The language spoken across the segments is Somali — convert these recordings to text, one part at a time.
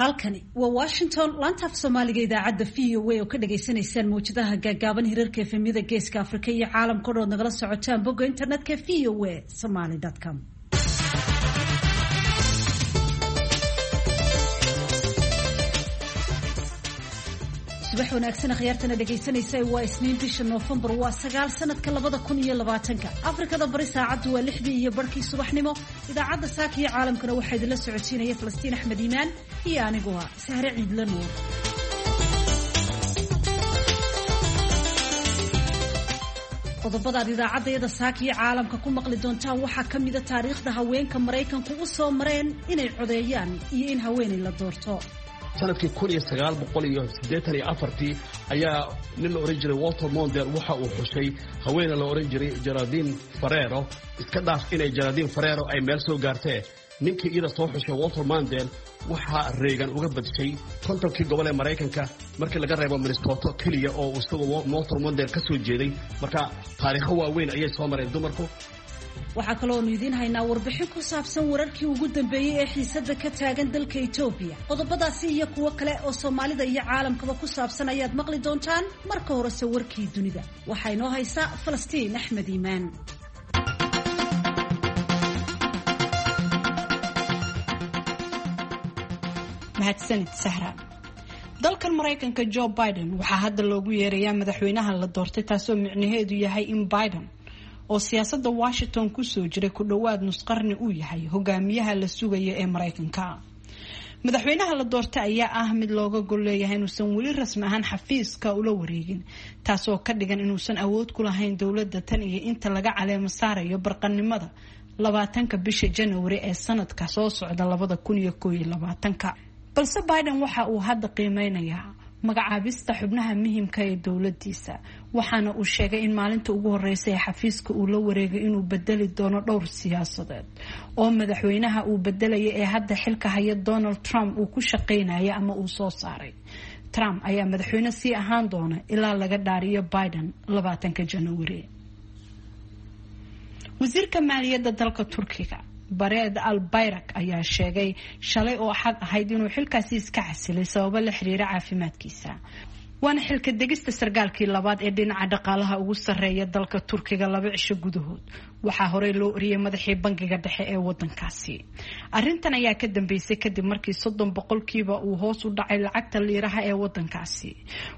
Halkani waa Washington, laanta af Soomaaliga, idaacadda VOA oo ka dhagaysanaysaan mawjadaha gaagaaban, hirarka FM-yada Geeska Afrika iyo caalamka o dhan ood nagala socotaan bogga internetka voasomali.com. Subax wanaagsan akhyaartana dhegaysanaysa. Waa Isniin, bisha Noofembar waa 9, sanadka 2020-ka. Afrikada Bari saacaddu waa 6:30 subaxnimo. Idaacadda saaka iyo caalamkana waxaa idinla socodsiinaya Falastiin Axmed Iimaan iyo anigu ah Sahre Ciidla Nuur. Qodobadaad idaacaddayada saaka iyo caalamka ku maqli doontaan waxaa ka mida taariikhda haweenka Maraykanku u soo mareen inay codeeyaan iyo in haweenay la doorto. Sanadkii 1984-tii ayaa nin la odhan jiray Walter Mondale waxa uu xushay haweene la odhan jiray Geraldine Ferraro. Iska dhaaf inay Geraldine Ferraro ay meel soo gaartee, ninkii iyada soo xushay Walter Mondale waxaa Reagan uga badshay 50-kii gobol ee Maraykanka, markii laga reebo Minnesota keliya oo isagoo Walter Mondale ka soo jeeday. Marka taariikho waaweyn ayay soo mareen dumarku. Waxaa kaloonu idiin haynaa warbixin ku saabsan wararkii ugu dambeeyey ee xiisadda ka taagan dalka Etoobiya. Qodobadaasi iyo kuwo kale oo Soomaalida iyo caalamkaba ku saabsan ayaad maqli doontaan. Marka horese warkii dunida waxaa inoo haysaa Falastiin Axmed Iimaan. Mahadsanid, Sahra. Dalkan Maraykanka, Joe Biden waxaa hadda loogu yeerayaa madaxweynaha la doortay, taasoo micnaheedu yahay in Biden oo siyaasadda Washington kusoo jiray ku dhowaad nusqarni uu yahay hogaamiyaha la sugaya ee Maraykanka. Madaxweynaha la doortay ayaa ah mid looga gol leeyahay inuusan weli rasmi ahaan xafiiska ula wareegin, taasoo ka dhigan inuusan awood ku lahayn dowladda tan iyo inta laga caleemo saarayo barqanimada 20-ka bisha January ee sanadka soo socda 2021-ka. Balse Biden waxa uu hadda qiimeynayaa magacaabista xubnaha muhiimka ee dowladiisa, waxaana uu sheegay in maalinta ugu horeysa ee xafiiska uu la wareegay inuu bedeli doono dhowr siyaasadeed oo madaxweynaha uu bedelaya ee hadda xilka haya Donald Trump uu ku shaqeynaya ama uu soo saaray. Trump ayaa madaxweyne sii ahaan doona ilaa laga dhaariyo Biden 20-ka January. Wasiirka maaliyadda dalka Turkiga Bareed Al Bayrak ayaa sheegay shalay oo Axad ahayd inuu xilkaasi iska casilay sababo la xiriira caafimaadkiisa. Waana xilka degista sargaalkii labaad ee dhinaca dhaqaalaha ugu sarreeya dalka Turkiga 2 cisho gudahood. Waxaa horey loo oriyay madaxii bangiga dhexe ee wadankaasi. Arintan ayaa ka dambeysay kadib markii 30% uu hoos u dhacay lacagta liiraha ee wadankaasi,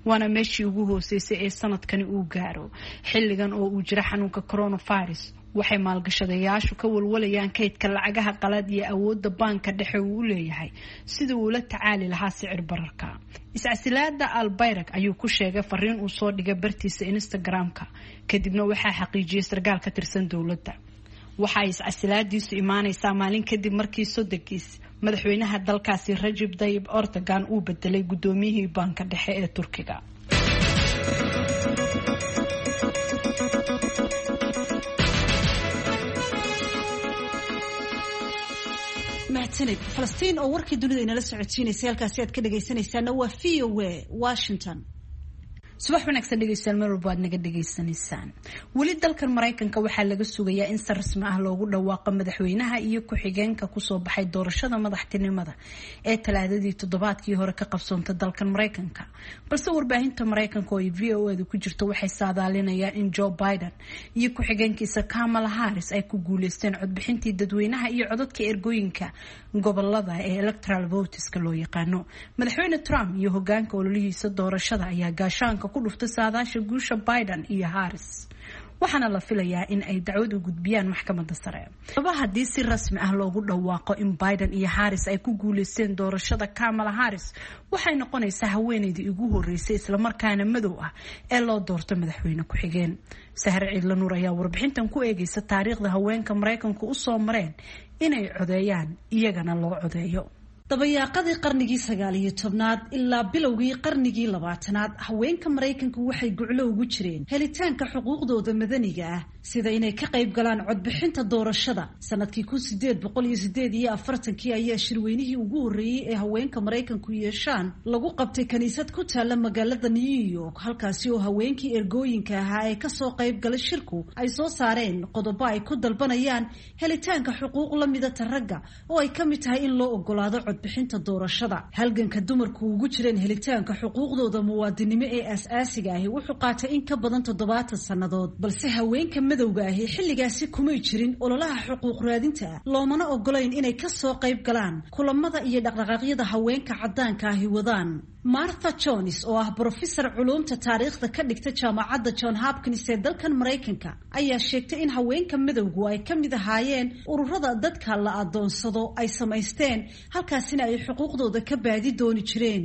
waana meeshii ugu hooseysay ee sanadkani uu gaaro. Xilligan oo uu jiro xanuunka coronavirus, waxay maalgashadayaashu ka walwalayaan kaydka lacagaha qalaad iyo awoodda baanka dhexe uu u leeyahay sidii uu la tacaali lahaa sicir bararka. Iscasilaada Albayrak ayuu ku sheegay fariin uu soo dhigay bartiisa Instagram-ka, kadibna waxaa xaqiijiyay sarkaal ka tirsan dowladda. Waxa ay iscasilaadiisu imaaneysaa maalin kadib markii sodogiis madaxweynaha dalkaasi Rajib Dayib Erdogan uu bedelay guddoomiyihii baanka dhexe ee Turkiga. Mahadsanid, Falastiin, oo warkii dunida inala socodsiinaysay. Halkaasi aad ka dhagaysanaysaana waa VOA Washington. Subax wanaagsan dhegeystayaal, meel walba aad naga dhegaysanaysaan. Weli dalkan Maraykanka waxaa laga sugayaa in si rasmi ah loogu dhawaaqo madaxweynaha iyo ku-xigeenka kusoo baxay doorashada madaxtinimada ee Talaadadii toddobaadkii hore ka qabsoontay dalkan Maraykanka. Balse warbaahinta Maraykanka oo ay VOA-da ku jirto waxay saadaalinayaan in Joe Biden iyo ku-xigeenkiisa Kamala Harris ay ku guuleysteen codbixintii dadweynaha iyo codadka ergooyinka gobolada ee electoral voteska loo yaqaano. Madaxweyne Trump iyo hogaanka ololihiisa doorashada ayaa gaashaanka ku dhuftay saadaasha guusha Biden iyo Harris, waxaana la filayaa in ay dacwad u gudbiyaan maxkamadda sare. Laba haddii si rasmi ah loogu dhawaaqo in Biden iyo Harris ay ku guuleysteen doorashada, Kamala Harris waxay noqonaysaa haweeneydii ugu horeysay islamarkaana madow ah ee loo doorto madaxweyne ku-xigeen. Sahre Ciidla Nuur ayaa warbixintan ku eegeysa taariikhda haweenka Maraykanku usoo mareen inay codeeyaan iyagana loo codeeyo. Dabayaaqadii qarnigii 19-aad ilaa bilowgii qarnigii 20-aad, haweenka Maraykanku waxay guclo ugu jireen helitaanka xuquuqdooda madaniga ah. sida inay ka qayb galaan codbixinta doorashada. Sanadkii 1848-kii ayaa shirweynihii ugu horreeyey ee haweenka Maraykanku yeeshaan lagu qabtay kaniisad ku taalla magaalada New York, halkaasi oo haweenkii ergooyinka ahaa ee kasoo qayb galay shirku ay soo saareen qodobo ay ku dalbanayaan helitaanka xuquuq la midata ragga, oo ay ka mid tahay in loo ogolaado codbixinta doorashada. Halganka dumarku ugu jireen helitaanka xuquuqdooda muwaadinimo ee aas-aasiga ahi wuxuu qaatay in ka badan 70 sannadood, balse haweenka madowga ahi xilligaasi kumay jirin ololaha xuquuq raadinta ah, loomana ogolayn inay kasoo qayb galaan kulamada iyo dhaqdhaqaaqyada haweenka caddaanka ahi wadaan. Martha Jones oo ah brofesor culuumta taariikhda ka dhigta jaamacadda John Hopkins ee dalkan Maraykanka ayaa sheegtay in haweenka madowgu ay ka mid ahaayeen ururada dadka la adoonsado ay samaysteen, halkaasina ay xuquuqdooda ka baadi dooni jireen.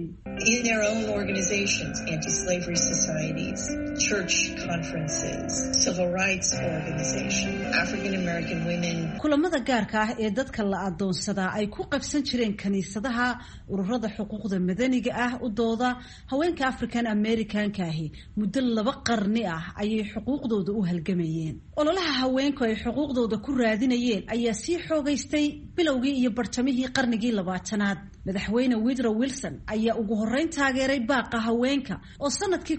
In their own organizations, anti-slavery societies, church conferences, civil rights organizations, African American women. Kulamada gaarka ah ee dadka la adoonsadaa ay ku qabsan jireen kaniisadaha, ururada xuquuqda madaniga ah u dooda, haweenka African Americanka ahi muddo 2 qarni ah ayay xuquuqdooda u halgamayeen. Ololaha haweenku ay xuquuqdooda ku raadinayeen ayaa sii xoogaystay bilowgii iyo bartamihii qarnigii 20aad. Madaxweyne Woodrow Wilson ayaa ugu horreyn taageeray baaqa haweenka oo sanadkii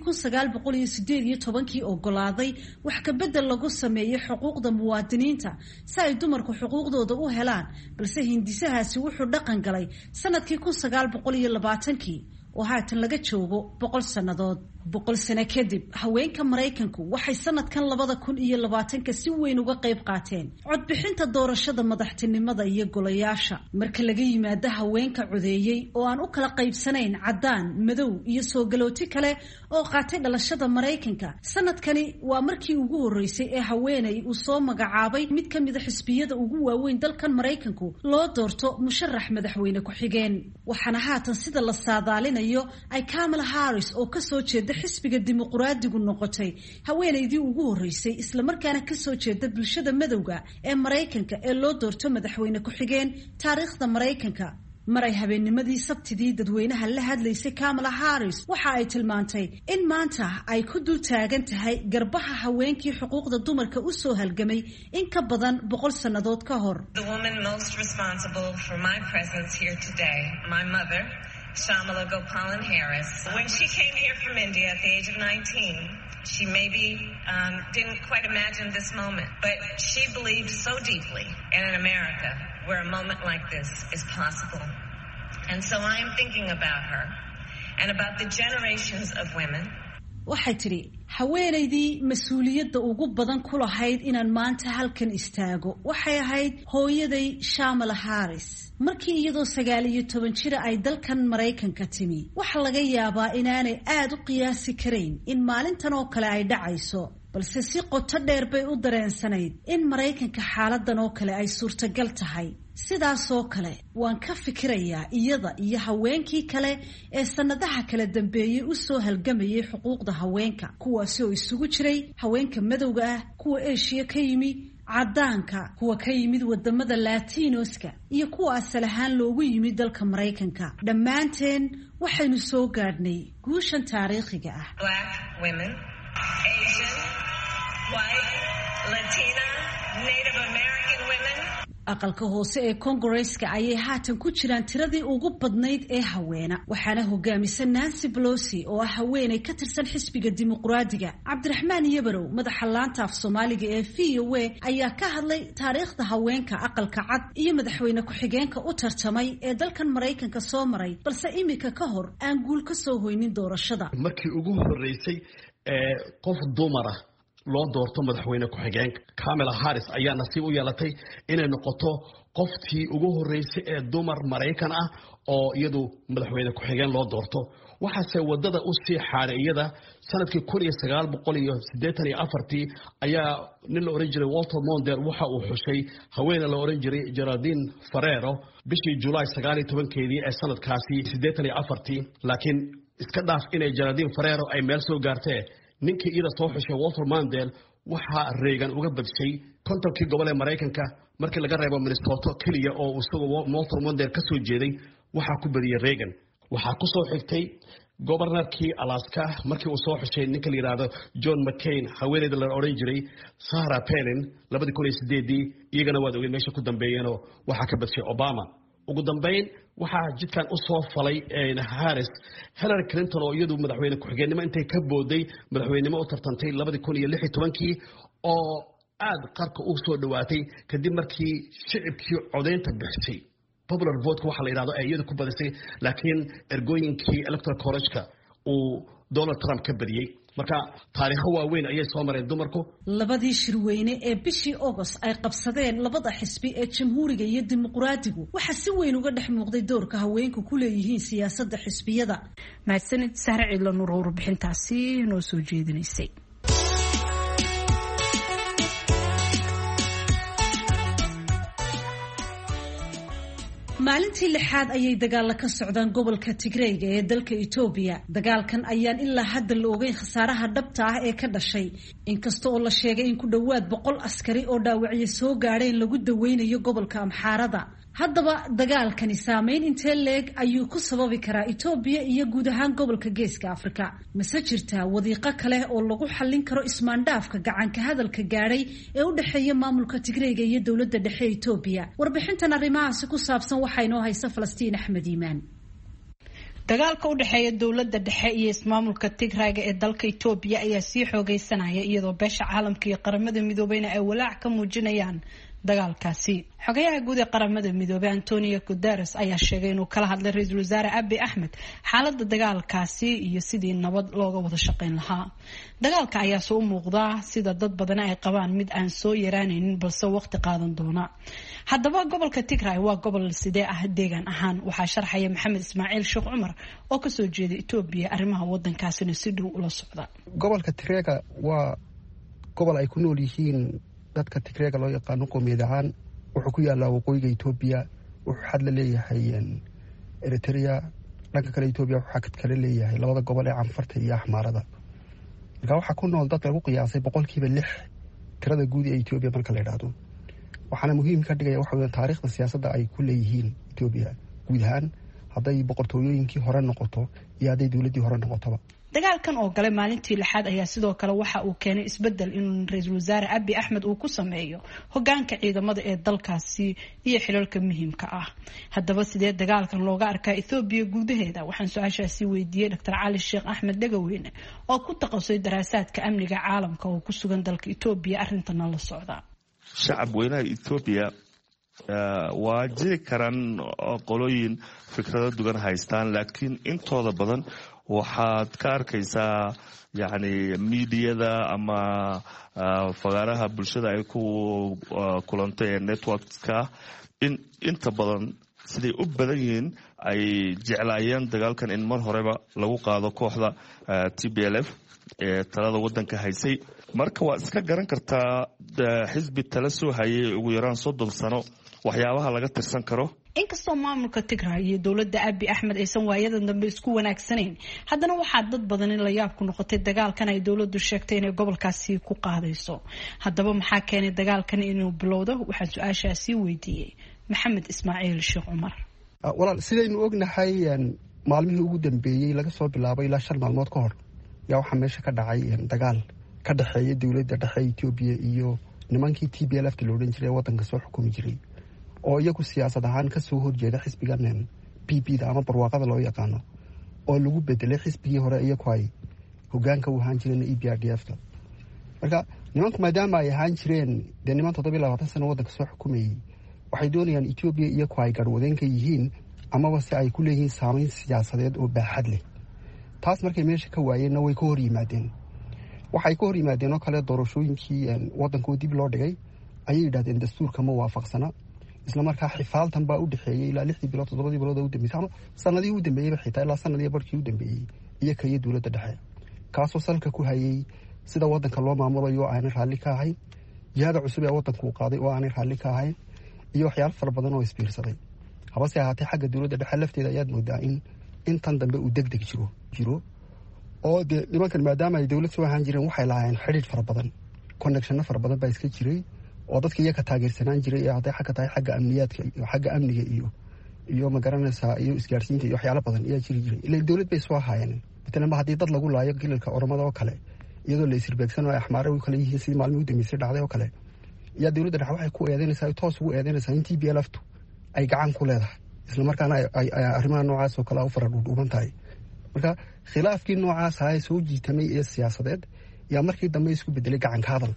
1918-kii ogolaaday wax ka bedel lagu sameeyo xuquuqda muwaadiniinta si ay dumarku xuquuqdooda u helaan, balse hindisahaasi wuxuu dhaqan galay sanadkii 1920-kii oo haatan laga joogo 100 sannadood. 100 sano kadib, haweenka Maraykanku waxay sanadkan 2020-ka si weyn uga qayb qaateen codbixinta doorashada madaxtinimada iyo golayaasha. Marka laga yimaado haweenka codeeyey oo aan u kala qaybsanayn caddaan, madow iyo soo galooti kale oo qaatay dhalashada Maraykanka, sanadkani waa markii ugu horreysay ee haweeney uu soo magacaabay mid ka mida xisbiyada ugu waaweyn dalkan Maraykanku loo doorto musharax madaxweyne ku-xigeen. Waxaana haatan sida la saadaalinayo ay Kamala Harris oo kasoo jeeda xisbiga Dimuqraadigu noqotay haweenaydii ugu horreysay islamarkaana kasoo jeeda bulshada madowga ee Maraykanka ee loo doorto madaxweyne ku-xigeen taariikhda Maraykanka. Maray habeennimadii Sabtidii dadweynaha la hadlaysay Kamala Harris waxa ay tilmaantay in maanta ay ku dul taagan tahay garbaha haweenkii xuquuqda dumarka u soo halgamay in ka badan 100 sannadood ka hor. The woman most responsible for my presence here today, my mother, Shamala Gopalan Harris. When she came here from India at the age of 19, she maybe didn't quite imagine this moment, but she believed so deeply in an America where a moment like this is possible. And so I am thinking about her and about the generations of women. Waxay tidhi, haweenaydii mas-uuliyadda ugu badan ku lahayd inaan maanta halkan istaago waxay ahayd hooyaday Shamala Harris. Markii iyadoo 19 jira ay dalkan Maraykanka timi, waxa laga yaabaa inaanay aada u qiyaasi karayn in maalintan oo kale ay dhacayso, balse si qoto dheer bay u dareensanayd in Maraykanka xaaladan oo kale ay suurtagal tahay. Sidaasoo kale waan ka fikirayaa iyada iyo haweenkii kale ee sannadaha kala dambeeyey u soo halgamayay xuquuqda haweenka, kuwaasi oo isugu jiray haweenka madowga ah, kuwa Eeshiya ka yimi, caddaanka, kuwa ka yimid wadamada Latinoska iyo kuwa asal ahaan loogu yimid dalka Maraykanka. Dhammaanteen waxaynu soo gaadhnay guushan taariikhiga ah. Black women, Asian, white, Latina, Native American women. Aqalka hoose ee Kongareska ayay haatan ku jiraan tiradii ugu badnayd ee haweena, waxaana hogaamisa Nancy Pelosi oo ah haweeney ka tirsan xisbiga Dimuqraadiga. Cabdiraxmaan Yabarow, madaxa laanta af Soomaaliga ee VOA, ayaa ka hadlay taariikhda haweenka Aqalka Cad iyo madaxweyne ku-xigeenka u tartamay ee dalkan Maraykanka soo maray, balse imika ka hor aan guul ka soo hoynin doorashada. Markii ugu horreysay ee qof dumara loo doorto madaxweyne ku-xigeenka, Kamala Harris ayaa nasiib u yeelatay inay noqoto qoftii ugu horreysay ee dumar Maraykan ah oo iyadu madaxweyne ku-xigeen loo doorto. Waxaase wadada u sii xaaray iyada sanadkii 1984-tii ayaa nin la oran jiray Walter Mondale waxa uu xushay haweene la oran jiray Geraldine Ferrero bishii Julaay 19-keedii ee sanadkaasi 84-tii. Laakiin iska dhaaf inay Geraldine Ferrero ay meel soo gaartee, ninkii iyada soo xushay Walter Mondale waxaa Reagan uga badshay 50-kii gobol ee Maraykanka markii laga reebo Minnesota keliya oo isagoo Walter Mondale ka soo jeeday, waxaa ku badiyey Reagan. Waxaa ku soo xigtay Gobornarkii Alaska markii uu soo xushay ninka la yidhaahdo John McCain haweeneyda la odhan jiray Sarah Palin 2008-dii, iyagana waad ogeed meesha ku dambeeyeenoo waxaa ka badshay Obama. Ugu dambeyn waxaa jidkan u soo falay Harris Hillary Clinton oo iyadu madaxweyne ku-xigeenimo intay ka booday madaxweynenimo u tartantay 2016-kii oo aada qarka u soo dhowaatay kadib markii shicibkii codaynta bixisay popular vote waxa la yidhahdo ay iyadu ku badisay, laakiin ergooyinkii electoral college-ka uu Donald Trump ka badiyey. Marka taariikho waaweyn ayay soo mareen dumarku. Labadii shirweyne ee bishii Agost ay qabsadeen labada xisbi ee Jamhuuriga iyo Dimuqraadigu waxaa si weyn uga dhex muuqday doorka haweenku ku leeyihiin siyaasadda xisbiyada. Mahadsanid Sahre Ciidla Nuur, warbixintaasi noo soo jeedinaysay. Maalintii lixaad ayay dagaalla ka socdaan gobolka Tigreyga ee dalka Itoobiya. Dagaalkan ayaan ilaa hadda la ogeyn khasaaraha dhabta ah ee ka dhashay, inkasta oo la sheegay in ku dhowaad 100 askari oo dhaawacyo soo gaadheen lagu daweynayo gobolka Amxaarada. Haddaba dagaalkani saameyn intee leeg ayuu ku sababi karaa Itoobiya iyo guud ahaan gobolka Geeska Afrika? Mase jirtaa wadiiqo kale oo lagu xallin karo ismaandhaafka gacanka hadalka gaadhay ee u dhexeeya maamulka Tigreyga iyo dowladda dhexe Itoobiya? Warbixintan arrimahaasi ku saabsan waxaa inoo haysa Falastiin Axmed Iimaan. Dagaalka u dhexeeya dowladda dhexe iyo ismaamulka Tigrayga ee dalka Itoobiya ayaa sii xoogeysanaya, iyadoo beesha caalamka iyo Qaramada Midoobeyna ay walaac ka muujinayaan dagaalkaasi. Xogayaha guud ee Qaramada Midoobey Antonio Guterres ayaa sheegay inuu kala hadlay ra-iisul wasaare Abi Axmed xaalada dagaalkaasi iyo sidii nabad looga wada shaqeyn lahaa. Dagaalka ayaa soo u muuqdaa sida dad badana ay qabaan mid aan soo yaraanaynin, balse waqti qaadan doona. Haddaba gobolka Tigray waa gobol sidee ah deegaan ahaan? Waxaa sharxaya Maxamed Ismaaciil Sheekh Cumar oo kasoo jeeda Itoobiya, arrimaha wadankaasina si dhow ula socda. Gobolka Tigreega waa gobol ay ku nool yihiin dadka Tigreega loo yaqaano qoomiyad ahaan. Wuxuu ku yaalaa waqooyiga Etoobiya, wuxuu xad la leeyahay Eritrea. Dhanka kale Etoobiya wuxuu xad kala leeyahay labada gobol ee Canfarta iyo Axmaarada. Marka waxaa ku nool dad lagu qiyaasay 6% tirada guud ee Etoobiya marka la yidhaahdo. Waxaana muhiim ka dhigaya waxa weeyaan taariikhda siyaasadda ay ku leeyihiin Etoobiya guud ahaan, hadday boqortooyooyinkii hore noqoto iyo hadday dowladdii hore noqotoba. Dagaalkan oo galay maalintii lixaad ayaa sidoo kale waxa uu keenay isbedel in ra-iisul wasaare Abi Axmed uu ku sameeyo hogaanka ciidamada ee dalkaasi iyo xilalka muhiimka ah. Haddaba sidee dagaalkan looga arkaa Ethoobiya gudaheeda? Waxaan su-aashaasi weydiiyey Dr Cali Sheekh Axmed Dhegaweyne oo ku takhasusay daraasaadka amniga caalamka oo ku sugan dalka Etoobiya, arrintana la socda. Shacab weynaha Etoobiya waa jiri karaan qolooyin fikrado dugan haystaan, laakiin intooda badan waxaad ka arkaysaa yacni miidiyada ama fagaaraha bulshada ay ku kulantay ee networkska in inta badan siday u badan yihiin ay jeclaayeen dagaalkan in mar horeba lagu qaado kooxda TPLF ee talada wadanka haysay. Marka waa iska garan kartaa xisbi tala soo hayay ugu yaraan 30 sano waxyaabaha laga tirsan karo. Inkastoo maamulka Tigray iyo dowladda Abi Axmed aysan waayadan dambe isku wanaagsanayn, haddana waxaa dad badan in la yaab ku noqotay dagaalkan ay dowladdu sheegtay inay gobolkaasi ku qaadayso. Haddaba maxaa keenay dagaalkan inuu bilowdo? Waxaan su-aashaasi weydiiyey Maxamed Ismaaciil Sheekh Cumar. Walaal, sidaynu ognahay, maalmihii ugu dambeeyey laga soo bilaabo ilaa 5 maalmood ka hor yaa waxaa meesha ka dhacay dagaal ka dhexeeya dowladda dhexe Etoobiya iyo nimankii TPLF ta la odhan jiray ee wadanka soo xukumi jiray, oo iyagu siyaasad ahaan kasoo horjeeda xisbigan PP da ama Barwaaqada loo yaqaano, oo lagu bedelay xisbigii hore iyagu ay hogaanka u ahaan jireen, EPRDF ta. Marka nimanku maadaama ay ahaan jireen dee niman 27 sano wadanka soo xukumayey, waxay doonayaan Etoobiya iyagu ay garhwadeenka yihiin amaba se ay ku leeyihiin saameyn siyaasadeed oo baaxad leh. Taas markay meesha ka waayeenna way ka hor yimaadeen. Waxay ka hor yimaadeen oo kale doorashooyinkii wadanka oo dib loo dhigay ayay yidhahdeen dastuurka ma waafaqsana. Isla markaa xifaaltan baa u dhexeeyey ilaa 6dii bilood, 7dii bilood u dambeysay ama sanadihii u dambeeyeyba, xitaa ilaa sanadiyo barhkii u dambeeyey iyo kaiyo dowladda dhexe, kaasoo salka ku hayay sida wadanka loo maamulayo oo aanay raalli ka ahayn, jihada cusub ee wadanku uu qaaday oo aanay raalli ka ahayn, iyo waxyaalo fara badan oo isbiirsaday. Habase ahaatee xagga dowladda dhexe lafteeda ayaad moodaa in intan dambe uu deg deg jiro oo dee nimankan maadaama ay dowlad soo ahaan jireen waxay lahaayeen xidhiidh fara badan, connectionno fara badan baa iska jiray oo dadka iyaga taageersanaan jiray ee hadday xagga tahay xagga amniyaadka iyo xagga amniga iyo Iyo magaranaysaa iyo isgaarsiinta iyo waxyaalo badan ayaa jiri jiray, ila dowlad bay soo ahaayeen. Matalan ba haddii dad lagu laayo gilalka Oromada oo kale, iyadoo la isirbeegsano ay Axmaare u kale yihiin, sidii maalmihii u dambeysay dhacday oo kale, yaa dowladda dhexe waxay ku eedeynaysaa, toos ugu eedeynaysaa in TPLF-tu ay gacan ku leedahay, islamarkaana ay arrimaha noocaas oo kale u fara dhuudhuuban tahay. Marka khilaafkii noocaas ahaa soo jiitamay ee siyaasadeed yaa markii dambe isku bedelay gacanka hadal.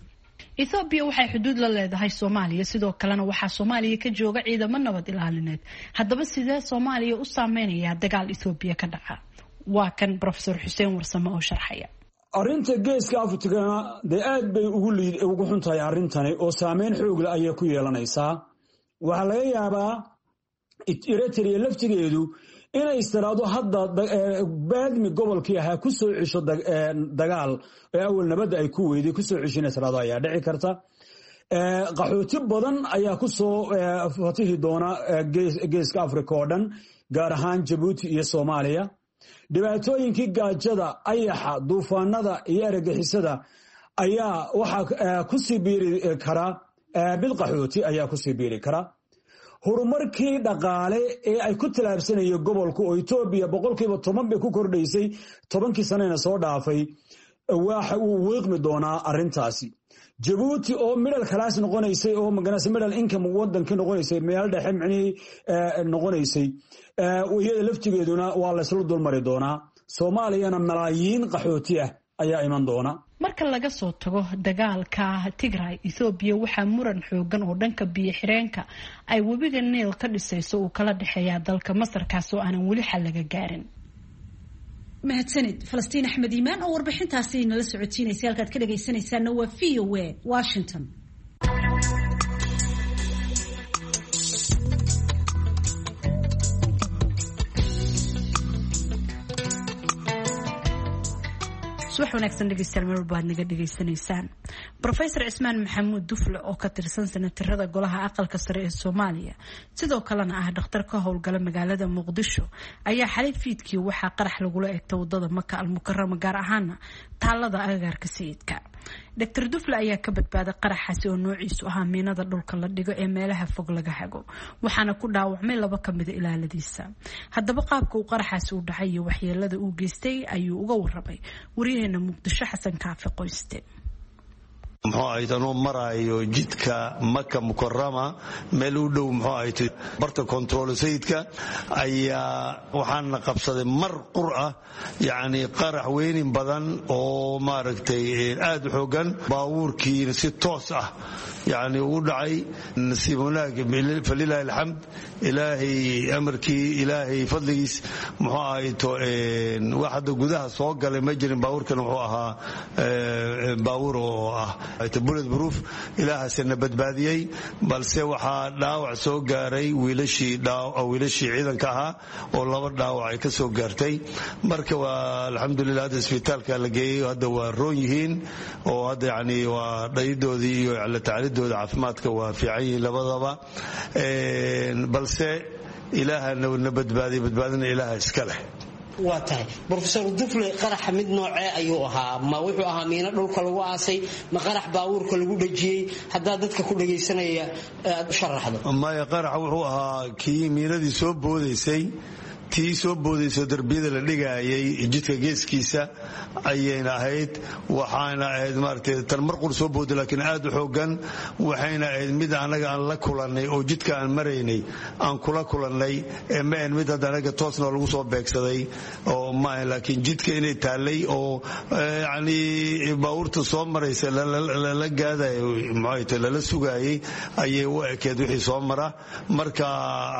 Ethoobiya waxay xuduud la leedahay Soomaaliya, sidoo kalena waxaa Soomaaliya ka jooga ciidamo nabad ilaalineed. Haddaba sidee Soomaaliya u saameynayaa dagaal Ethoobiya ka dhaca? Waa kan Profesor Xuseen Warsame oo sharxaya. Arrinta Geeska Afrikana dee aad bay ugu xun tahay arrintani, oo saameyn xoogle ayay ku yeelanaysaa. Waxaa laga yaabaa Eritrea laftigeedu inay istiraado hadda Baadmi gobolkii ahaa ku soo cesho dagaal ee awal nabadda ay ku weyday ku soo cesho inay tiraado ayaa dhici karta. Qaxooti badan ayaa ku soo fatihi doona Geeska Afrika oo dhan, gaar ahaan Jabuuti iyo Soomaaliya. Dhibaatooyinkii gaajada, ayaxa, duufaanada iyo argagixisada ayaa waxaa kusii biiri kara mid qaxooti ayaa kusii biiri kara. Horumarkii dhaqaale ee ay ku tallaabsanayeen gobolku, oo Etoobiya 10% bay ku kordhaysay 10kii sanena soo dhaafay, waxa uu wiiqmi doonaa arrintaasi. Jabuuti oo middle class noqonaysay, oo maganase middle income wadankii noqonaysay, meel dhexe micnihii noqonaysay, iyada laftigeeduna waa laysla dulmari doonaa. Soomaaliyana malaayiin qaxooti ah ayaa iman doona. Marka laga soo tago dagaalka Tigray, Ethoobiya waxaa muran xoogan oo dhanka biyo xireenka ay webiga Niil ka dhisayso uu kala dhexeeyaa dalka Masar, kaasoo aanan weli xal laga gaarin. Mahadsanid Falastiin Axmed Iimaan oo warbixintaasi nala socotiinaysay. Halkaad ka dhagaysanaysaana waa VOA Washington. Subax wanaagsan dhegeystayaal, meel walba aad naga dhegeysanaysaan. Profesor Cismaan Maxamuud Dufle oo ka tirsan sanatirada golaha aqalka sare ee Soomaaliya, sidoo kalena ah dhakhtar ka howlgala magaalada Muqdisho, ayaa xalay fiidkii waxaa qarax lagula eegtay wadada Maka Almukarama, gaar ahaana taalada agagaarka Sayidka. Dr Dufle ayaa ka badbaaday qaraxaasi oo noociisu ahaa miinada dhulka la dhigo ee meelaha fog laga hago, waxaana ku dhaawacmay laba kamida ilaaladiisa. Haddaba qaabka uu qaraxaasi u dhacay iyo waxyeelada uu geystay ayuu uga warramay waryaheena Muqdisho, Xasan Kaafi Qoyste. Muxuu ahayd, anuu maraayo jidka Maka Mukarama meel u dhow, muxuu ahayd, barta control Sayidka, ayaa waxaana qabsaday mar qur ah yacni qarax weynin badan oo maaragtay aad u xoogan. Baabuurkiina si toos ah yacni ugu dhacay. Nasiib wanaag, falilaahi alxamd, Ilaahay amarkii, Ilaahay fadligiis, muxuu ahayd, wax hadda gudaha soo galay ma jirin. Baabuurkan wuxuu ahaa baabuur oo ah bullet proof, Ilaahasina badbaadiyey. Balse waxaa dhaawac soo gaaray wiilashii ciidanka ahaa, oo laba dhaawac ay ka soo gaartay. Marka waa alxamdulilah, hadda isbitaalka la geeyey, hadda waa roon yihiin, oo hadda yani waa dhayidoodii iyo la tacaalidooda caafimaadka waa fiican yihiin labadaba. Balse Ilaaha na badbaadiyey, badbaadina Ilaaha iska leh. Waa tahay, Brofesor Dufle, qaraxa mid noocee ayuu ahaa? Ma wuxuu ahaa miino dhulka lagu aasay, ma qarax baabuurka lagu dhajiyey? Haddaa dadka ku dhagaysanaya aad u sharaxdo. Maya, qaraxa wuxuu ahaa kii miinadii soo boodaysay, tii soo boodayso darbiyada la dhigaayay jidka geeskiisa ayayna ahayd. Waxaana ahayd maaragtay tan mar qur soo booday, laakiin aad u xoogan. Waxayna ahayd mid annaga aan la kulannay oo jidka aan maraynay aan kula kulannay, ee ma ahayn mid hadda anaga toosna lagu soo beegsaday oo ma ahayn, laakiin jidka inay taallay oo yacni baabuurta soo maraysa lala gaadayo, muxuu tahay, lala sugaayay ayay u ekeed wixii soo mara. Marka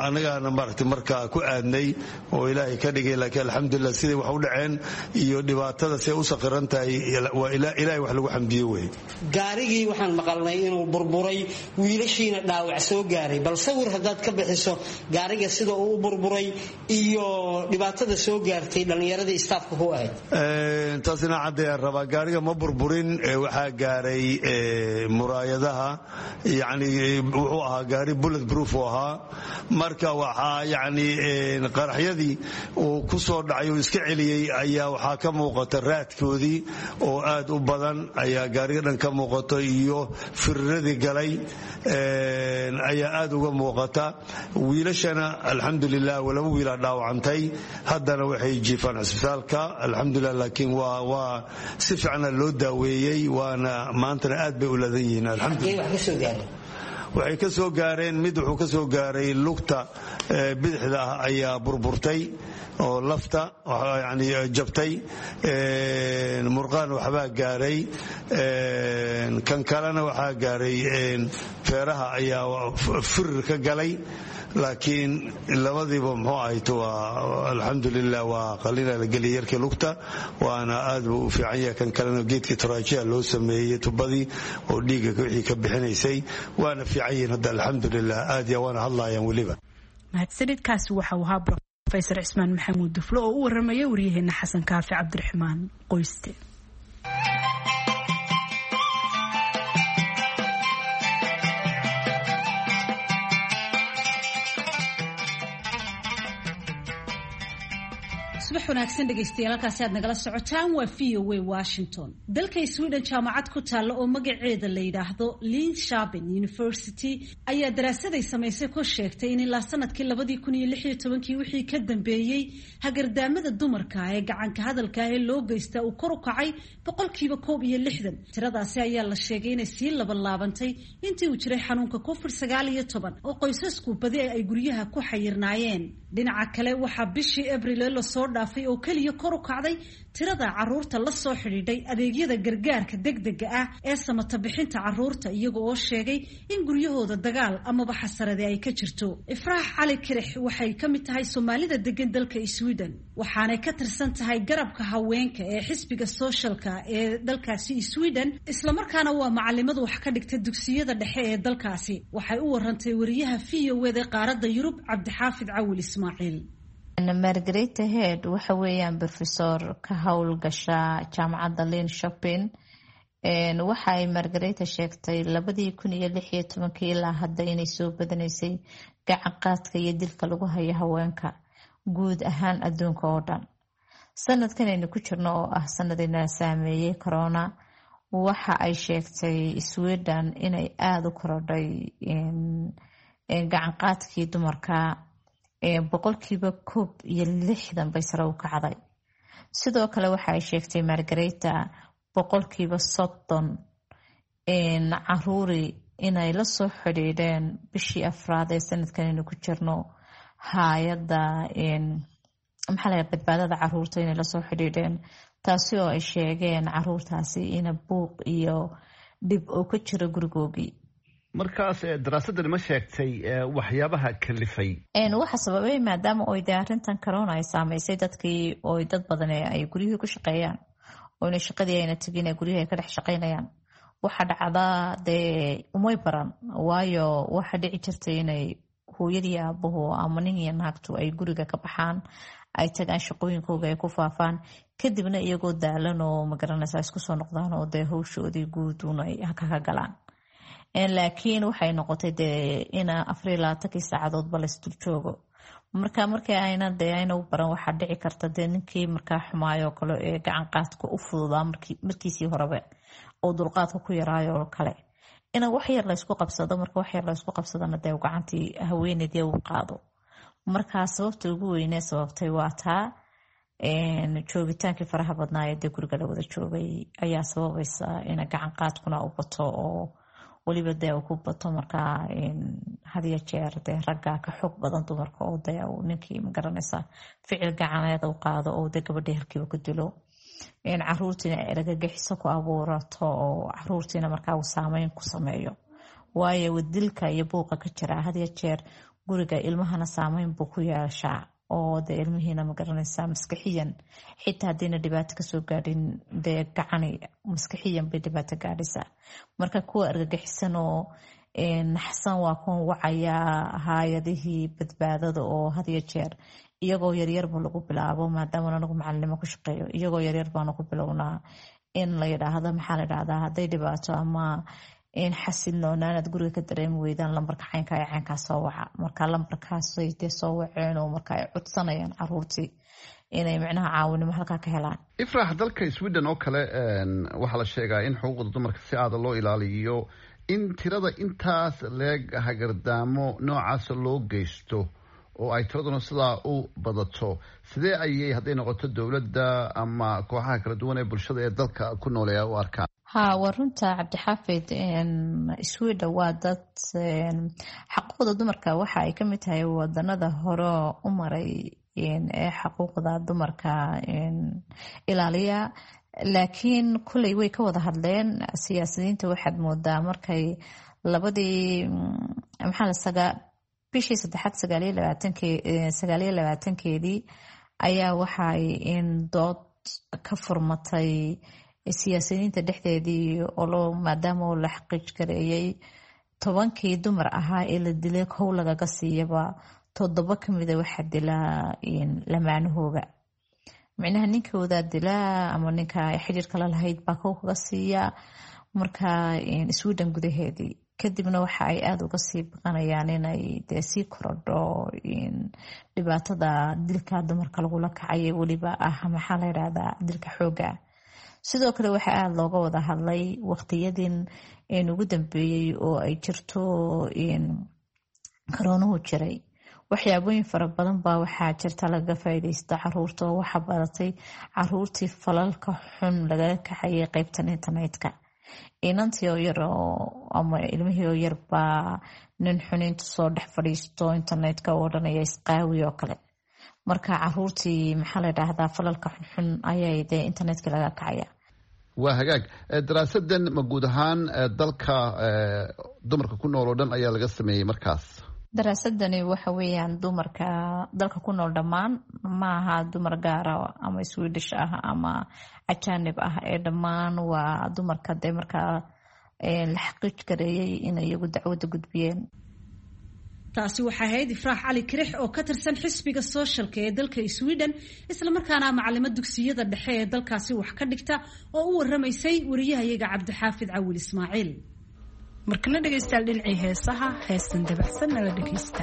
annagaana maaragtay markaa ku aadnay oo Ilaahay ka dhigay. Laakiin alxamdulilah, siday wax u dhaceen iyo dhibaatada siday u saqiran tahay, waa Ilaahay wax lagu xamdiye wey. Gaarigii waxaan maqalnay inuu burburay, wiilashiina dhaawac soo gaaray. Bal sawir haddaad ka bixiso gaariga sida uu u burburay iyo dhibaatada soo gaartay dhallinyaradii istaafka ku ahayd. Taasina caddayaan rabaa. Gaariga ma burburin, waxaa gaaray muraayadaha. Yacni wuxuu ahaa gaari bullet proof uu ahaa. Marka waxaa yacni qaraxyadii Dhagaxyadii uu ku soo dhacay uu iska celiyey ayaa waxaa ka muuqata raadkoodii oo aad u badan ayaa gaariga dhan ka muuqata, iyo firiradii galay ayaa aad uga muuqata. Wiilashana alxamdulilah laba wiilaa dhaawacantay, haddana waxay jiifaan cisbitaalka, alxamdulilah. Laakiin waa si fiicana loo daaweeyey, waana maantana aad bay u ladan yihiin, alxamdulilah. Waxay ka soo gaareen, mid wuxuu ka soo gaaray lugta bidixda ah ayaa burburtay oo lafta yani jabtay, murqaan waxbaa gaaray. Kan kalena waxaa gaaray feeraha ayaa firir ka galay. Laakiin labadiiba muxuu ahayto, waa alxamdulilah, waa qalina la geliyay yarkii lugta, waana aad buu u fiican yahay. Kan kalena geedkii taraajiha loo sameeyey, tubadii oo dhiigga wixii ka bixinaysay, waana fiican yihiin hadda, alxamdulilah, aad ya waana hadlayaan weliba. Mahadsanidkaasi waxa uu ahaa Rofesor Cismaan Maxamuud Duflo oo u waramaya waryaheena Xasan Kaafi Cabdiraxmaan Qoyste. Subax wanaagsan dhegaystayaal, halkaasi aad nagala socotaan waa VOA Washington. Dalka Sweden jaamacad ku taalla oo magaceeda la yidhaahdo Linköping University ayaa daraasaday samaysay ku sheegtay in ilaa sanadkii 2016-kii wixii ka dambeeyey hagardaamada dumarka ee gacanka hadalka ee loo geystaa uu kor u kacay 61%. Tiradaasi ayaa la sheegay inay sii labalaabantay intii uu jiray xanuunka COVID-19 oo qoysasku badi ay guryaha ku xayirnaayeen. Dhinaca kale, waxaa bishii Abril lasoo dhaafay oo keliya kor u kacday tirada caruurta la soo xidhiidhay adeegyada gargaarka degdega ah ee samata bixinta caruurta, iyaga oo sheegay in guryahooda dagaal amaba xasarade ay ka jirto. Ifraax Cali Kirix waxay ka mid tahay Soomaalida degan dalka Sweden, waxaanay ka tirsan tahay garabka haweenka ee xisbiga sooshalka ee dalkaasi Sweden, islamarkaana waa macalimadu wax ka dhigta dugsiyada dhexe ee dalkaasi. Waxay u warantay wariyaha VOA-da qaaradda Yurub, Cabdixaafid Cawil Ismaaciil. Margareta Head waxa weeyaan brofesor ka howlgasha jaamacadda Linköping. Waxa ay Margareta sheegtay 2016-kii ilaa hadda inay soo badanaysay gacan qaadka iyo dilka lagu hayo haweenka guud ahaan adduunka oo dhan. Sanadkan aynu ku jirno oo ah sanadina saameeyey corona, waxa ay sheegtay Sweden inay aada u korodhay gacan qaadkii dumarka, 61% bay sare u kacday. Sidoo kale waxa ay sheegtay Margareta 30% caruuri inay lasoo xidhiidheen bishii afraad ee sanadkan aynu ku jirno hay-adda maxaa la badbaadada caruurta inay lasoo xidhiidheen, taasi oo ay sheegeen caruurtaasi ina buuq iyo dhib oo ka jiro gurigoogii. Markaas daraasadani ma sheegtay waxyaabaha kalifay? Waxa sababay maadaama oy dee arrintan corona ay saameysay dadkii, oy dad badan ay guryihii ku shaqeeyaan, oyna shaqadii ayna tegin ee guryihii ay ka dhex shaqeynayaan. Waxa dhacdaa dee umay baran, waayo waxa dhici jirtay inay hooyadii aabuhu ama nin iyo naagtu ay guriga ka baxaan, ay tagaan shaqooyinkooga, ay ku faafaan, kadibna iyagoo daalan oo magaranaysa isku soo noqdaan oo dee howshoodii guuduun ay haka ka galaan. Laakiin waxay noqotay dee ina 24-kii saacadoodba laysdul joogo. Marka markii ayna dee ayna u baran, waxaa dhici karta dee ninkii markaa xumaayoo kale ee gacan qaadka u fududaa markiisii horeba oo dulqaadka ku yaraayoo kale ina wax yar laysku qabsado. Marka wax yar laysku qabsadana dee gacantii haweeneydii uu qaado. Markaa sababta ugu weynee sababtay waa taa joogitaankii faraha badnaa ee dee guriga la wada joogay ayaa sababaysa ina gacan qaadkuna u bato, oo weliba dee uu ku bato markaa hadiyo jeer dee ragga ka xoog badan dumarka, oo dee uu ninkii magaranaysa ficil gacaneed u qaado oo dee gabadhii halkiiba ku dilo, caruurtiina eragagixiso ku abuurato, oo caruurtiina markaa uu saameyn ku sameeyo. Waayo dilka iyo buuqa ka jira hadiyo jeer guriga ilmahana saameyn buu ku yeeshaa, oo dee ilmihiina magaranaysa maskaxiyan xitaa haddiina dhibaato kasoo gaadhin dee gacani maskaxiyan bay dhibaato gaadhaysaa. Marka kuwa argagixisan oo naxsan waa kuwan wacayaa hay-adihii badbaadada, oo hadiyo jeer iyagoo yaryarba lagu bilaabo. Maadaama anagu macalinimo ku shaqeeyo, iyagoo yaryar baanu ku bilownaa in la yidhaahdo maxaa la yidhahdaa hadday dhibaato ama Xasilnoonaanaad guriga ka dareemi weydaan, lambarka caynka ee caynkaa soo waca. Marka lambarkaasay dee soo waceen oo marka ay codsanayaan caruurtii inay micnaha caawinimo halkaa ka helaan. Ifrax, dalka Sweden oo kale waxaa la sheegaa in xuquuqda dumarka si aada loo ilaaliyo. In tirada intaas leeg hagardaamo noocaasa loo geysto oo ay tiraduna sidaa u badato, sidee ayay hadday noqoto dowladda ama kooxaha kala duwan ee bulshada ee dalka ku nooleeya u arkaan? Ha, waa runta, Cabdixaafid. Sweden waa dad xaquuqda dumarka waxa ay kamid tahay wadanada hore u maray ee xaquuqda dumarka ilaaliya. Laakiin kulley way ka wada hadleen siyaasiyiinta. Waxaad moodaa markay labadii maxaa la sagaa bishii saddexaad 29-keedii ayaa waxay in dood ka furmatay siyaasiyiinta dhexdeedii oo maadaama la xaqiij gareeyay 10kii dumar ahaa ee la dilay kow lagaga siiyaba, 7 kamida waxaa dilaa lamaanahooga, micnaha ninkoodaa dilaa ama ninka xiriirka la lahayd baa kow kaga siiya. Marka Sweden gudaheedii kadibna waxa ay aada uga sii baqanayaan inay dee sii korodho dhibaatada dilka dumarka lagula kacay, weliba ah maxaa la yidhahdaa dilka xooga. Sidoo kale waxaa aada looga wada hadlay waqtiyadin ugu dambeeyey oo ay jirto karoonuhu jiray, waxyaabooyin fara badan baa waxaa jirta lagaga faa'iidaysta caruurta, oo waxaa badatay caruurtii falalka xun lagaga kacayay qeybtan internetka. Inantii oo yar ama ilmihii oo yar baa nin xun intu soo dhex fadhiisto internetka oo odhanaya isqaawi oo kale. Marka caruurtii maxaa la dhahdaa falalka xunxun ayay dee internetka laga kacaya. Waa hagaag. Daraasadan ma guud ahaan dalka dumarka ku nool oo dhan ayaa laga sameeyey markaas? Daraasadani waxa weeyaan dumarka dalka ku nool dhammaan, ma aha dumar gaara ama Swedish ah ama ajaanib ah, ee dhammaan waa dumarka dee markaa la xaqiij gareeyay inay iyagu dacwadda gudbiyeen. Taasi waxaa ahayd Ifraax Cali Kirix oo ka tirsan xisbiga sooshalka ee dalka Sweden, islamarkaana macalimo dugsiyada dhexe ee dalkaasi wax ka dhigta, oo u waramaysay wariyahayaga Cabdixaafid Cawil Ismaaciil. Markana dhegaystayaal, dhinacii heesaha, heestan dabacsan nala dhegaysta.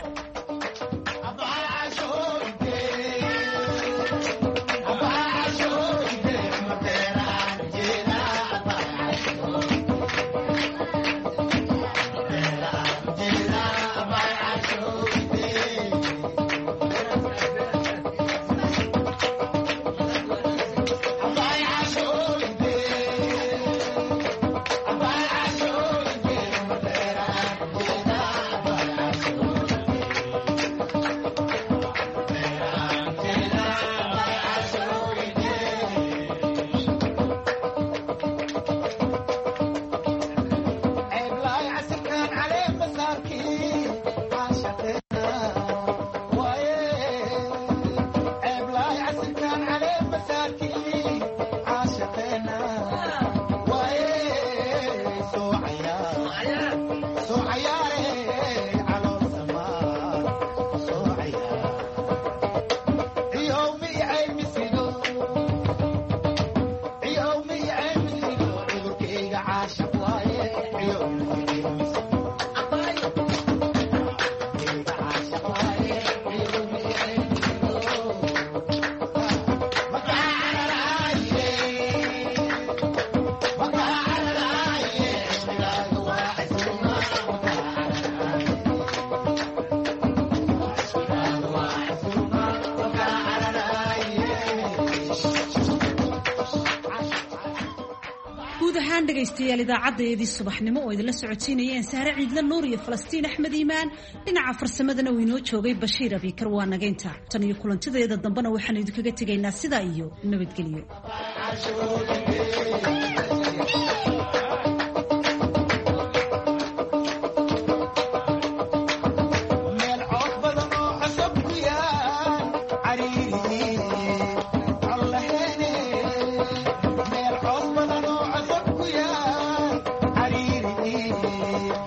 Guud ahaan dhegaystayaal, idaacaddayadii subaxnimo oo idinla socodsiinayeen Sahre Ciidle Nuur iyo Falastiin Axmed Iimaan, dhinaca farsamadana uu inoo joogay Bashiir Abiikar, waa nagaynta. Tan iyo kulantideeda dambena waxaanu idinkaga tegaynaa sidaa iyo nabadgelyo. Yeah.